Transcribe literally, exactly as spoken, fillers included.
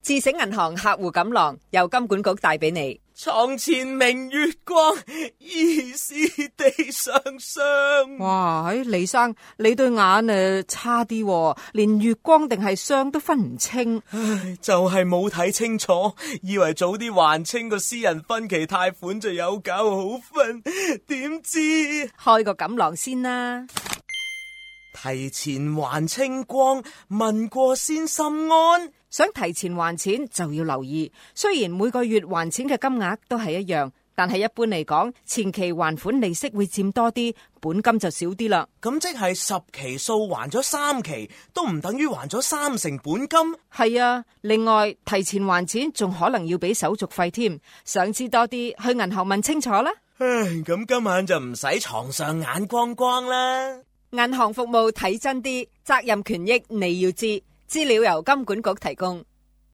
智醒銀行客戶錦囊由金管局帶俾你。床前明月光，疑是地上霜。哇，李生，你對眼誒差啲，連月光定係霜都分唔清。唉，就係冇睇清楚，以為早啲還清個私人分期貸款就有覺好瞓，點知開個錦囊先啦。提前還清光，問過先心安。想提前還錢就要留意，雖然每個月還錢嘅金額都係一樣，但係一般嚟講，前期還款利息會佔多啲，本金就少啲啦。咁即係十期數還咗三期，都唔等於還咗三成本金？係啊，另外提前還錢仲可能要俾手續費添。想知多啲，去銀行問清楚啦。唉，咁今晚就唔使床上眼光光啦。銀行服務睇真啲，責任權益你要知，資料由金管局提供。